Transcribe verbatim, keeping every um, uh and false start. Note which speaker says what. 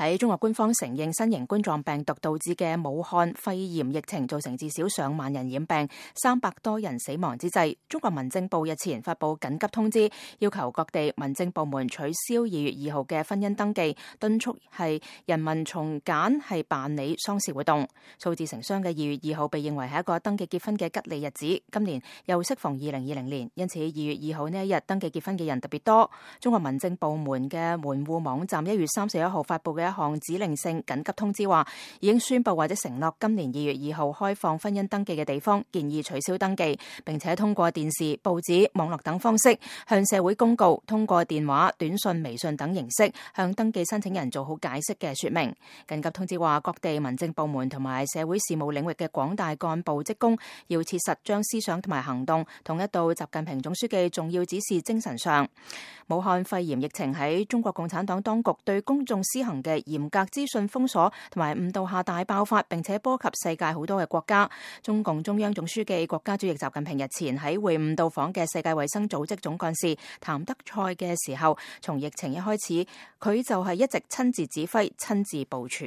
Speaker 1: 喺中國官方承認新型冠狀病毒導致嘅武漢肺炎疫情造成至少上萬人染病、三百多人死亡之際，中國民政部日前發布緊急通知，要求各地民政部門取消二月二號嘅婚姻登記，敦促係人民從簡係辦理喪事活動。數字成雙嘅二月二號被認為係一個登記結婚嘅吉利日子，今年又適逢二零二零年，因此二月二號呢一日登記結婚嘅人特別多。中國民政部門嘅門戶網站一月三十一號發布嘅一項指令性緊急通知話，已經宣布或者承諾今年二月二號開放婚姻登記嘅地方，建議取消登記，並且通過電視、報紙、網絡等方式向社會公告，通過電話、短信、微信等形式向登記申請人做好解釋嘅說明。緊急通知話，各地民政部門同埋社會事務領域嘅廣大幹部職工要切實將思想同埋行動統一到習近平總書記重要指示精神上。武漢肺炎疫情喺中國共產黨當局對公眾施行嘅嚴格資訊封鎖同埋誤導下大爆發，並且波及世界好多嘅國家。中共中央總書記、國家主席習近平日前喺會晤到訪嘅世界衛生組織總幹事譚德塞嘅時候，從疫情一開始，佢就係一直親自指揮、親自部署。